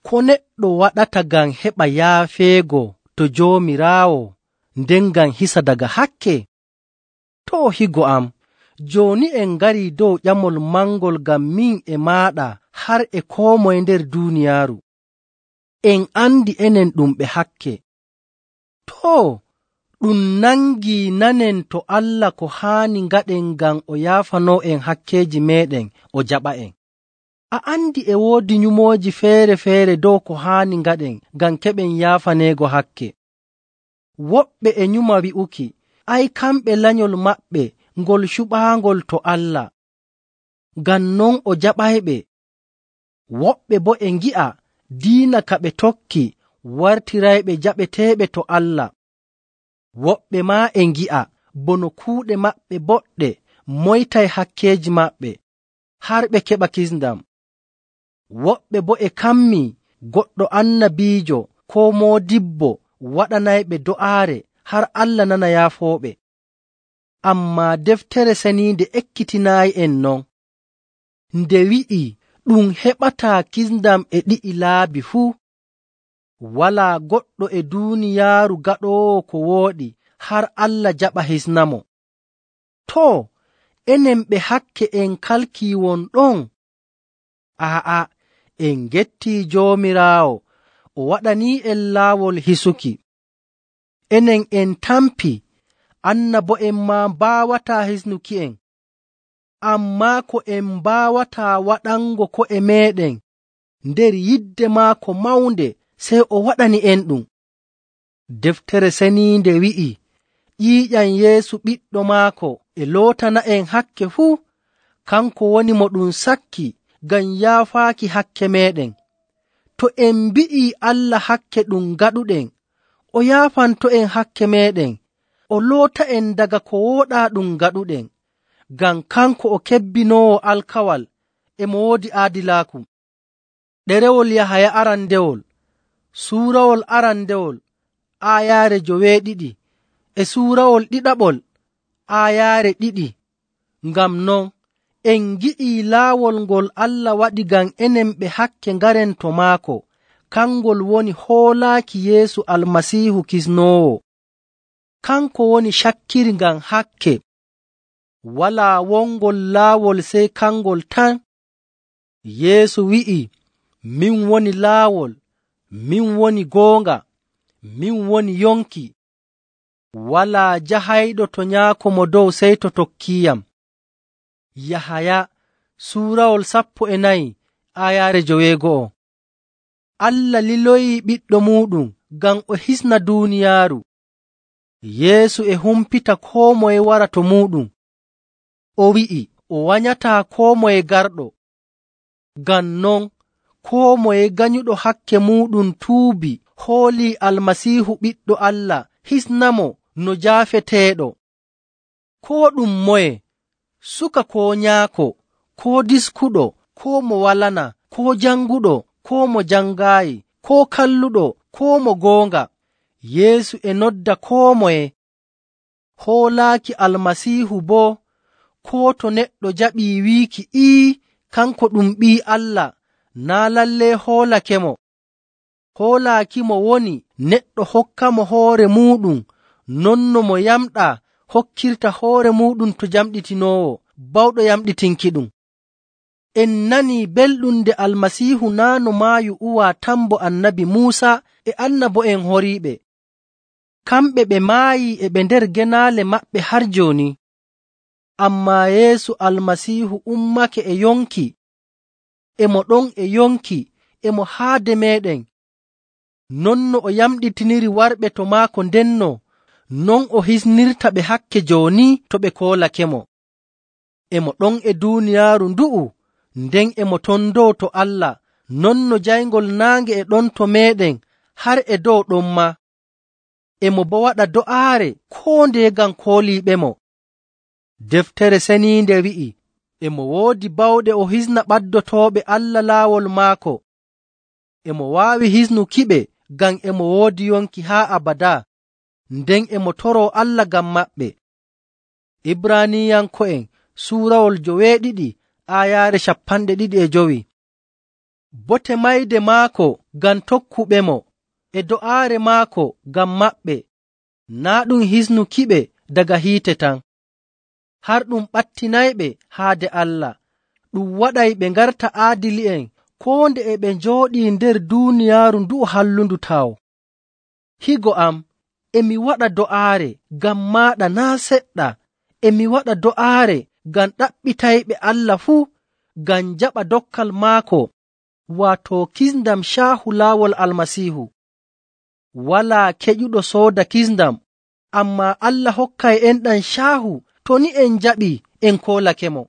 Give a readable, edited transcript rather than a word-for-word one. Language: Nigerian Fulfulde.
ko neɗɗo waɗata ngam heɓa yaafeego to Joomiraawo nden ngam hisa daga hakke? Too, higo am, jooni en ngarii dow ƴamol mangol ngam min e maaɗa har e koo moye nder duuniyaaru. En andi enen ɗum ɓe hakke. Too, ɗum nangii nanen to Allah ko haani ngaɗen ngam o yaafanoo'en hakkeeji meeɗen o jaɓa'en. A andi e woodi nyumooji feere‑feere dow ko haani ngaɗen ngam keɓen yaafaneego hakke. Woɓɓe e nyuma wi'uki, ay kamɓe lanyol maɓɓe ngol cuɓaangol to Allah, ngam non o jaɓayɓe. Woɓɓe boo e ngi'a diina ka ɓe tokki wartirayɓe jaɓeteeɓe to Allah. Woɓɓe maa e ngi'a bono kuuɗe maɓɓe boɗɗe moytay hakkeeji maɓɓe har ɓe keɓa kisndam. Woɓɓe boo e kammii goɗɗo annabiijo koo moodibbo waɗanayɓe do'aare har Allah nana yaafooɓe. Ammaa Deftere Ceniinde ekkitinaayi'en non, nde wi'ii ɗum heɓataa kisndam e ɗi'i laabi fuu. Walaa goɗɗo e duuniyaaru gaɗoowo ko wooɗi har Allah jaɓa hisnamo. Too, enen ɓe hakke en kalkii won ɗon? Aa'a, en gettii Joomiraawo o waɗanii'en laawol hisuki. Enen en tampi, annabo'en maa mbaawataa hisnuki'en. Ammaa ko en mbaawataa waɗango ko'e meeɗen nder yidde maako mawnde, sey o waɗani'en ɗum. Deftere Ceniinde wi'ii ƴiiƴam Yeesu ɓiɗɗo maako e lootana'en hakke fuu. Kanko woni mo ɗum sakki ngam yaafaaki hakke meeɗen. To en mbi'ii Allah hakke ɗum ngaɗuɗen, o yaafanto'en hakke meeɗen, o loota'en daga ko wooɗaa ɗum ngaɗuɗen, ngam kanko o kebbinoowo alkawal e mo woodi aadilaaku. Ɗerewol Yahaya arandewol, suurawol arandewol, aayaare 12 e suurawol ɗiɗaɓol, aayaare 2. Ngam non, en ngi'ii laawol ngol Allah waɗi ngam enen ɓe hakke ngaren to maako, kangol woni hoolaaki Yeesu Almasiihu kisnoowo. Kanko woni cakkiri ngam hakke. Walaa wongol laawol sey kangol tan. Yeesu wi'ii, min woni laawol, min woni goonga, min woni yonki. Walaa jahayɗo to Nyaako mo dow sey to tokkiiyam. Yahaya suurawol 14 aayaare 12. Allah liloyii ɓiɗɗo muuɗum ngam o hisna duuniyaaru. Yeesu e humpita koo moye wara to muuɗum. O wi'i o wanyataa koo moye garɗo. Ngam non, koo moye ganyuɗo hakke muuɗum tuubi hoolii Almasiihu ɓiɗɗo Allah hisnamo no jaafeteeɗo. Koo ɗum moye, suka koo nyaako, koo diskuɗo, koo mo walana, koo janguɗo, koo mo jangaayi, koo kalluɗo, koo mo goonga, Yeesu e nodda koo moye. Hoolaaki Almasiihu boo, koo to neɗɗo jaɓii wiiki kanko ɗum Ɓii Allah, naa lallee hoolakemo. Hoolaakimo woni neɗɗo hokkamo hoore muuɗum non no mo yamɗaa hokkirta hoore muuɗum to jamɗitinoowo bawɗo yamɗitinkiɗum. En nanii belɗum nde Almasiihu naa no maayu uwaa tan bo Annabi Muusa e annabo'en horiiɓe. Kamɓe ɓe maayii e ɓe nder genaale maɓɓe har jooni. Ammaa Yeesu Almasiihu ummake e yonki. E mo ɗon e yonki, e mo haade meeɗen. Non no o yamɗitiniri warɓe to maako ndenno, non o hisnirta ɓe hakke jooni to ɓe koolakemo. E mo ɗon e duuniyaaru ndu'u, nden e mo ton dow to Allah, non no jayngol naange e ɗon to meeɗen har e dow ɗon maa. E mo boo waɗa do'aare koo ndeye ngam kooliiɓemo. Deftere Ceniinde wi'i, e mo woodi bawɗe o hisna ɓaddotooɓe Allah laawol maako. E mo waawi hisnukiɓe ngam e mo woodi yonki haa abadaa, nden e mo toroo Allah ngam maɓɓe. Ibraaniyanko'en suurawol 12 aayaare 25. Bote mayde maako ngam tokkuɓemo e do'aare maako ngam maɓɓe, naa' ɗum hisnukiɓe daga hiite tan, har ɗum ɓattinayɓe haade Allah, ɗum waɗay ɓe ngarta aadili'en koo nde e ɓe njooɗii nder duuniyaaru ndu'u hallundu taw. Higo am, e mi waɗa do'aare ngam maaɗa naa' seɗɗa, e mi waɗa do'aare ngam ɗaɓɓitayɓe Allah fuu, ngam jaɓa dokkal maako, waato kisndam caahu laawol Almasiihu. Walaa keƴuɗo sooda kisndam, ammaa Allah hokkay enɗam caahu to ni en njaɓii en koolakemo.